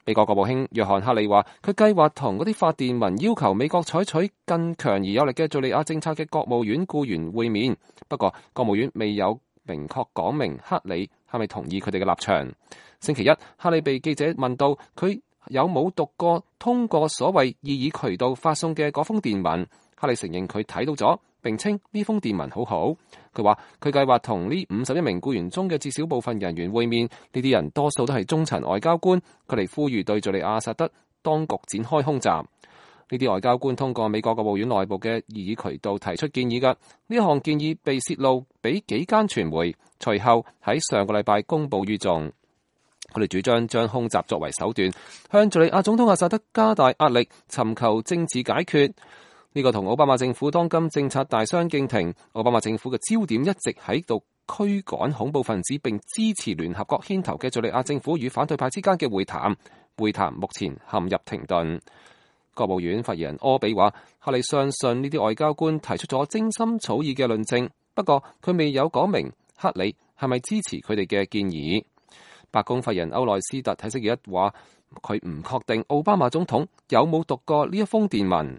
美國國務卿約翰克里話，佢計劃同嗰啲發電文要求美國採取更強而有力嘅敘利亞政策嘅國務院僱員會面，不過國務院未有明確講明克里係咪同意佢哋嘅立場。星期一，克里被記者問到佢有冇讀過通過所謂異議渠道發送嘅嗰封電文，克里承認佢睇到咗，並稱呢封電文好好。佢話佢計劃同呢51名僱員中嘅至少部分人員會面，呢啲人多數都係中層外交官，佢哋呼籲對敘利亞阿薩德當局展開空襲。呢啲外交官通過美國國務院內部嘅異議渠道提出建議㗎，呢項建議被泄露俾幾間傳媒，隨後喺上個禮拜公佈於眾。佢哋主張將空襲作為手段，向敘利亞總統阿薩德加大壓力，尋求政治解決。呢個同奧巴馬政府當今政策大相徑庭。奧巴馬政府嘅焦點一直喺度驅趕恐怖分子，並支持聯合國牽頭嘅敘利亞政府與反對派之間嘅會談。會談目前陷入停頓。國務院發言人柯比話，克里相信呢啲外交官提出咗精心草擬嘅論證，不過佢未有講明克里係咪支持佢哋嘅建議。白宮發言人歐內斯特喺星期一話，佢唔確定奧巴馬總統有冇讀過呢一封電文。